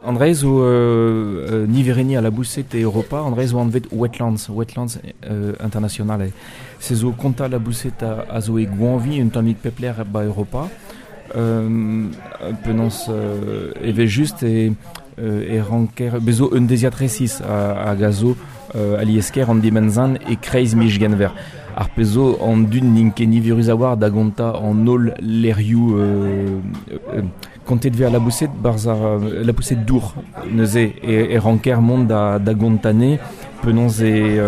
An dra zo niverenniñ al laboused e Europa, an dra zo anvet Wetlands, Wetlands International. Se zo kontañ laboused a zo e goañviñ un tammig pep lec'h ba Europa. Penaos evel-just e e ranker bez zo un deziad resis hag a zo alies-kaer an dimenzan e-kreiz miz Genver. Ar pezh zo an dud n'int ket niverus a-walc'h da gontañ an holl lec'hioù kontet vez al laboused 'barzh ar laboused dour. Neuze e ranker mont da da gontañ anezhe penaos e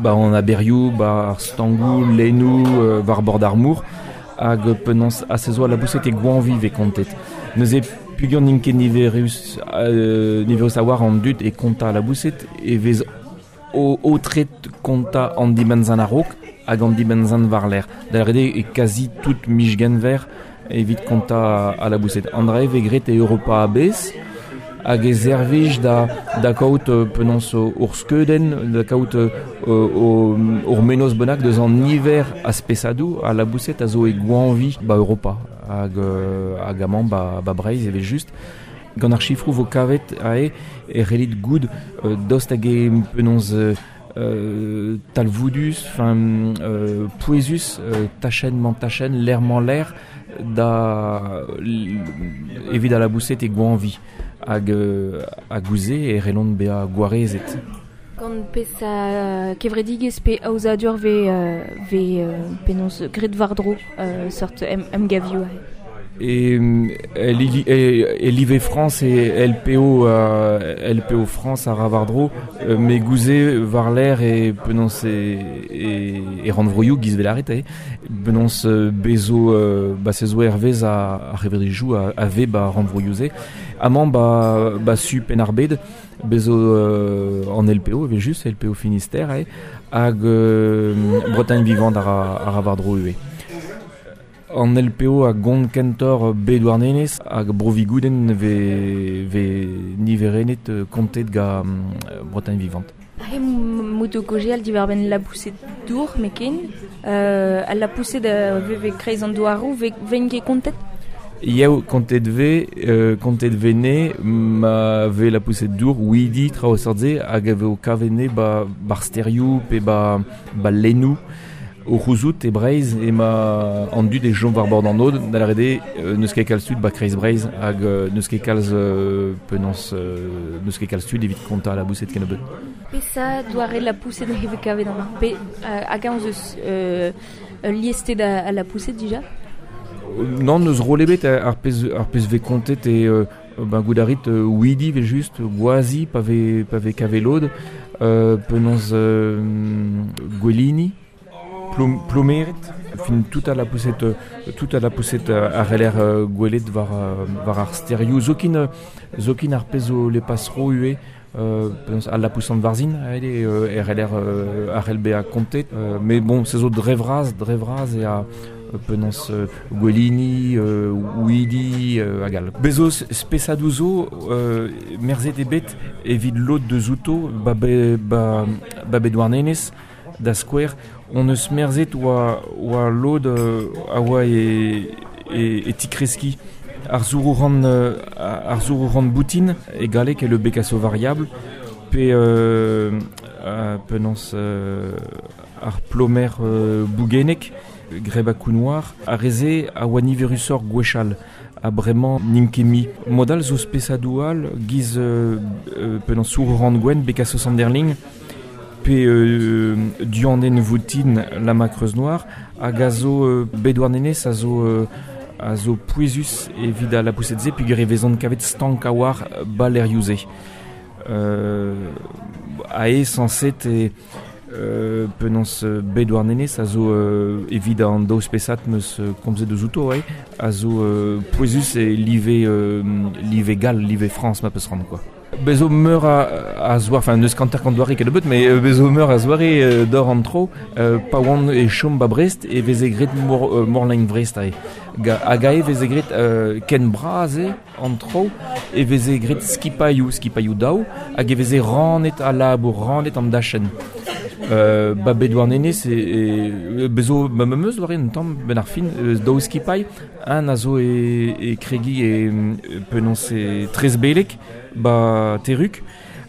'ba an aberioù, 'ba ar stangoù, lennoù, war bord ar mor hag penaos ha se zo al laboused e goañviñ 'vez kontet. Neuze peogwir n'int ket niverus niverus a-walc'h an dud e kontañ al laboused e vez aotret kontañ an dibenn-zan a-raok hag an dibenn-zan war-lerc'h. Da lâret eo e kazi tout miz Genver evit kontañ al laboused. An dra-se 'vez graet e Europa a-bezh hag e servij da da kaout penaos ur skeudenn, da kaout ur mennozh bennak deus an niver a spesadoù a laboused a zo e goañviñ 'ba Europa hag hag amañ 'ba 'ba Breizh evel-just. Gant ar sifroù 'vo kavet aze e c'hellit goût daoust hag eo penaos talvoudus, enfin pouezus tachenn-mañ-tachenn, lec'h-mañ-lec'h da evit al laboused e goañviñ hag hag ouzh se e c'hellont bezañ gwarezet. Gant peseurt kevredigezh pe aozadur 'vez 'vez penaos graet war-dro seurt emgavioù aze? E e live Frañs e LPO LPO Frañs a ra war-dro met gouze war-lerc'h e penaos e e rannvroioù giz 'vel lâret eo penaos bez zo ba se zo hervez ar c'hevredigezhioù a vez 'ba rannvroioù-se. Amañ 'ba 'ba su Penn-ar-Bed Bez zo an LPO evel-just, LPO Finistère eo, hag Bretagne Vivante a ra, a ra war-dro ivez. An LPO a gont kentoc'h bet Douarnenez hag Bro-Vigoudenn 'vez 'vez niverennet kontet gant Bretagne Vivante. Aze 'mout o kaozeal diwar-benn laboused dour 'met-ken. Al lapoused a veve e-kreiz an douaroù 'vez ket kontet? Yev, kontet 'vez, kontet 'vez 'ne ma vez lapoused dour, houidi, traoù seurt-se, hag a vo kavet 'ne 'ba 'bar stêrioù pe 'ba 'ba lennoù. O c'houzout e Breizh emañ an dud e chom war bord an aod, da lâret eo n'eus ket kalz tud 'ba kreiz Breizh hag n'eus ket kalz penaos n'eus ket kalz tud evit kontañ laboused kennebeut. Peseurt doare lapoused e vez kavet amañ? Pe hag-eñ ez eus ul liested a lapoused dija? Nann, n'eus roll ebet. Ar pezh ar pezh 'vez kontet eo ben goût a rit houidi evel-just, gwazi pa vez pa vez kavet lod, penaos gwelini, plomered, fin tout a lapoused tout a lapoused a c'heller gwelet war war ar stêrioù zoken zoken ar pezh zo le passereau ivez penaos al labous Sant-Varzhin aet eo e c'heller a c'hell bezañ kontet met bon se zo dre vras dre vras eo a penaos gwelini houidi hag all. Bez zo spesadoù zo merzet eo bet evit lod deus outo ba ba ba bet Douarnenez da skouer hon eus merzet oa oa lod a oa e e tikreskiñ ar zourou-ran ar zourou-ran boutin e galleg eo le bécasseau variable pe penaos ar plomer bougennek grebakoù noir ar re-se a oa niverusoc'h gwechall ha bremañ n'int ket mui. Mod all zo spesadoù all giz penaos sourou-ran gwenn bécasseau sanderling pe duanenn voutin Lama Creuse Noire hag a zo bet Douarnenez a zo a zo pouezus evit al lapoused-se peogwir e vezont kavet stank a-walc'h 'ba lec'hioù-se. Aes sañset e penaos bet Douarnenez a zo evit an daou spesad 'm eus komzet eus outo a zo pouezus e live live gall, live Frañs ma peus c'hoant quoi. Bez zo meur a zoare, enfin n'eus hanter-kant doare kennebeut, mais bez zo meur a zoare d'or an tro. Pa oan e chom ba Brest e veze graet mor, morlain Vrest aze. Hag aze e veze graet ken bras eo an tro, e veze graet skipailhoù, skipailhoù daou, hag e veze rannet al labour, rannet an dachenn. Ba bet Douarnenez e bezo ma meus war un tamm ben ar fin daou skipailh un a zo e kregi e penaos e Trezbelek ba Teruk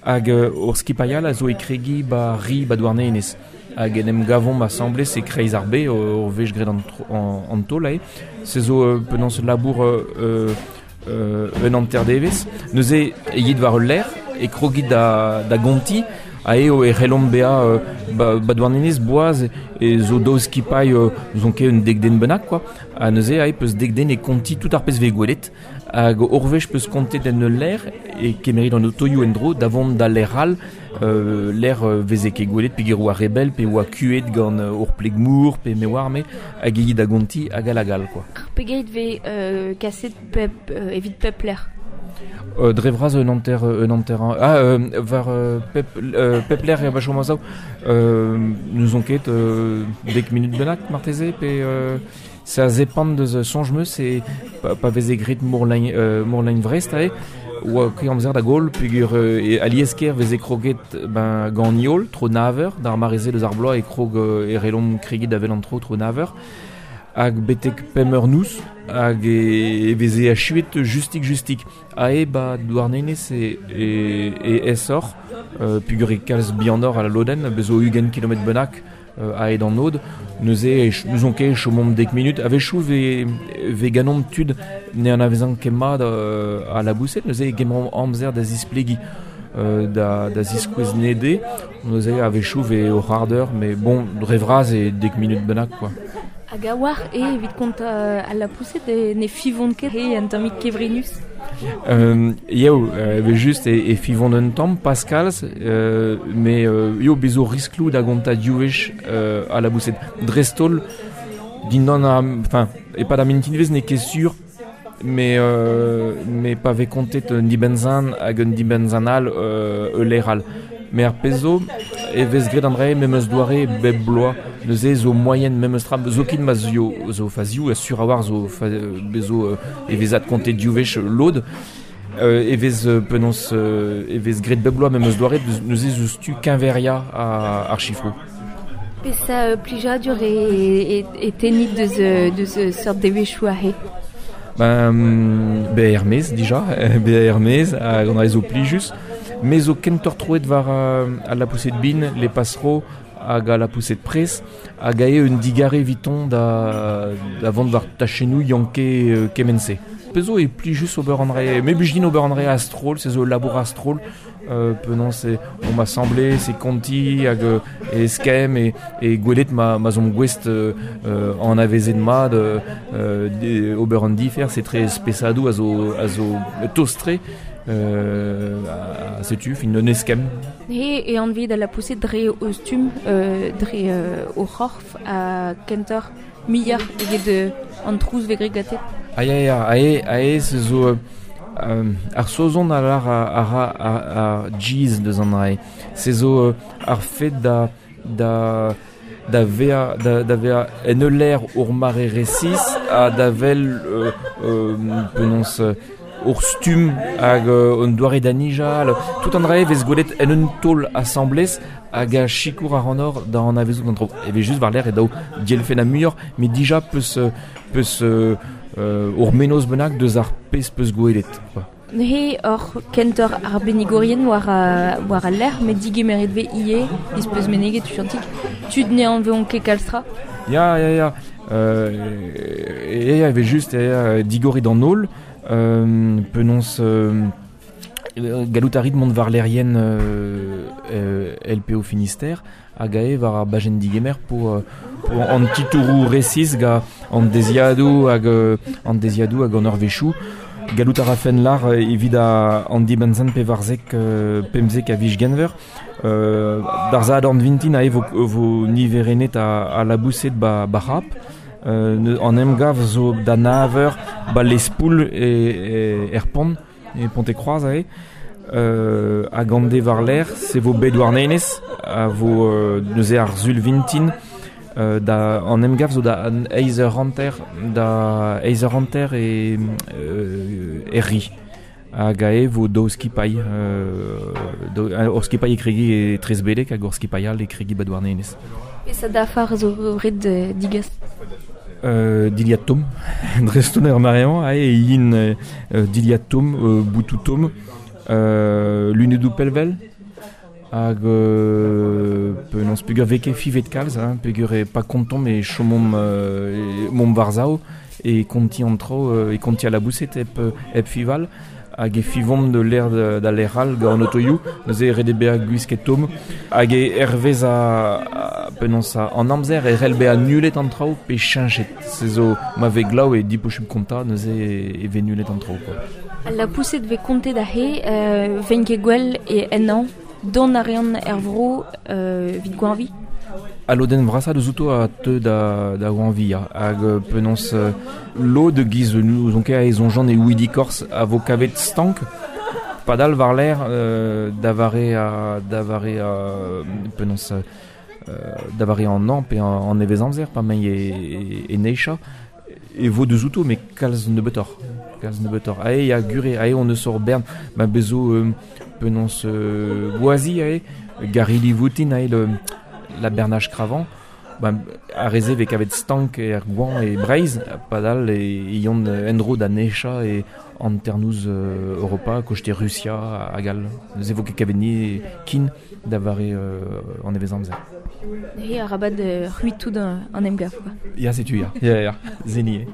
hag ur skipailh all a zo e kregi ba Ri ba Douarnenez hag en em gavomp asambles e kreiz ar be ur wech graet an taol ae se zo penaos labour un hanter devezh neuze e yit war ul lec'h e krogit da gontiñ a eo e c'hellomp bezañ ba Douarnenez boaz e zo daou skipailh zo ket un dek den bennak quoi ha neuze ae peus dek den e kontiñ tout ar pezh vez gwelet hag ur wech peus kontet en ul lec'h e kemerit an otoioù en-dro da vont da lec'h all lec'h veze ket gwelet peogwir oa re bell pe oa kuet gant ur pleg-mor pe me oar me hag e da gontiñ hag all hag all quoi. Pegeit vez kaset pep evit pep lec'h? Dre vras un hanter ah war pep lec'h e va chom a-sav n'ouzon ket dek minut bennak marteze pe se a zepant deus soñj 'meus e pa veze graet Morlain Vrest aze oa ket amzer da goll peogwir alies-kaer veze kroget ben gant heol tro nav eur d'ar mare-se deus ar bloaz e krog e c'hellomp kregiñ da wel an tro tro nav eur hag betek pemp eur noz hag e veze achuet justik-justik ae ba Douarnenez e aesoc'h peogwir e kalz bihanoc'h a la lodenn bez zo 20 kilometr bennak aet an aod neuze n'ouzon ket chomomp dek minut a-wechoù vez ganeomp tud ne anavezan ket mat a laboused neuze e gemeromp amzer da zisplegiñ da ziskouez nede neuze a-wechoù vez o c'hard eur mais bon dre vras e dek minut bennak quoi. Hag a-walc'h eo evit kontañ al lapoused ne fivont ket he un tammig kevrinus? Eo, evel-just e fivont un tamm, pas kalz, met eo bez zo riskloù da gontañ div wech al laboused. Dreist-holl, dindan ar, enfin, e-pad ar mintinvezh n'eo ket sur, met pa vez kontet un dibenn-zan hag un dibenn-zan all ul lec'h all. Met ar pezh zo e vez graet an dra-se memes doare bep bloaz. Neuze zo moaien memes tra zoken ma zo fazioù sur a-walc'h zo bez zo e vez adkontet div wech lod. E vez penaos e vez graet bep bloaz memes doare neuze zo stu keñveriañ ar sifroù. Peseurt plijadur e tennit deus seurt devezhioù aze? Ben, bezañ er-maez dija, bezañ er-maez hag an dra zo plijus. Me zo kentoc'h troet war al lapoused bin, les passereaux hag al lapoused pres hag ae un digarez eviton da vont war tachennoù yanke kement-se. Pezh zo e plijus ober an dra, me blij din ober an dra a-stroll, se zo ul labour a-stroll. Penaos omp asambles e kontiñ hag e skemm e gwelet ma 'z omp gouest anavezet mat ober an diferz etre spesadoù a zo tost-tre setu fin un eskemm. He e anvit al lapoused dre o stumm, dre o c'horf ha kentoc'h muioc'h eget an trouz vez graet gante. Ah ya ya, ae se zo ar Saozon a lar a ra ar jizz deus an dra-se. Se zo ar fed da da da vezañ da vezañ en ul lec'h ur mare resis ha da wel penaos ur stumm hag un doare da nijal. Tout an dra-se vez gwelet en un taol asambles hag a sikour ac'hanoc'h da anavezout an traoù. Evel-just war-lerc'h e daou dielfennañ muioc'h, met dija peus peus ur mennozh bennak deus ar pezh peus gwelet. Neuze oc'h kentoc'h arbennigourien war al lec'h, met digemeret vez ivez, ez peus meneget tuchantik, tud ne anveont ket kalz tra. Ya, ya, ya. Ya, evel-just, ya, digorit an holl. Penaos gallout a rit mont war lec'hienn LPO Finistère hag ae war ar bajenn digemer po an titouroù resis gant an deziadoù hag an deziadoù hag an eurvezhioù. Gallout a rafen lar evit an dibenn-sen pevarzek pemzek a viz Genver. D'ar Sadorn vintin ae vo niverennet a laboused ba c'hap. An emgav zo da nav eur ba Lespoul er pont, e Pontekroaz aze. Hag an de war-lerc'h se vo bet Douarnenez a vo neuze ar Sul vintin da an emgav zo da eizh eur hanter da eizh eur hanter e ri. Hag ae vo daou skipailh, ur skipailh e kregi e Tresbedek hag ur skipailh all e kregi ba Douarnenez. Peseurt dafar zo ret digas? Dilhad tomm, dreist-holl er mare-mañ, ae e yin dilhad tomm, boutoù tomm, lunedoù pellwel, hag penaos peogwir vez ket fivet kalz, hein, peogwir eo pa kontomp e chomomp momp war-sav e konti an traoù, e konti al laboused hep fival. Hag e fivomp de l'air da lec'h all gant an otoioù, neuze ret eo bezañ gwisket tomm. Hag e hervez a penaos an amzer e c'hell bezañ nullet an traoù pe cheñchet. Se zo ma vez glav e diposubl kontañ, neuze e vez nullet an traoù quoi. Al lapoused vez kontet aze, veint ket gwell e ennañ, dont a reont er vro evit goañviñ? Al lodenn vrasañ deus outo a teu da goañviñ, ya. Hag penaos lod giz n'ouzon ket e soñjan e Ouidi-Korse a vo kavet stank padal war-lerc'h da vare da vare penaos da vare an hañv pe an nevezamzer pa m'emañ e neizhañ e vo deus outo met kalz nebeutoc'h kalz nebeutoc'h. Aze ya gure aze on eus ur bern ma bezo penaos gwazi aze garili voutin aze le la bernage cravant, ba, ar re-se vez kavet stank er goañv e Breizh, padal e yont en-dro da nechañ e hanternoz Europa, koste Rusia hag all. Neuze vo ket kavet ni kin da vare an nevezamzer. Neuze arabat c'hwitout an emgav, quoi. Ya, setu ya. Ya, ya, zeni eo.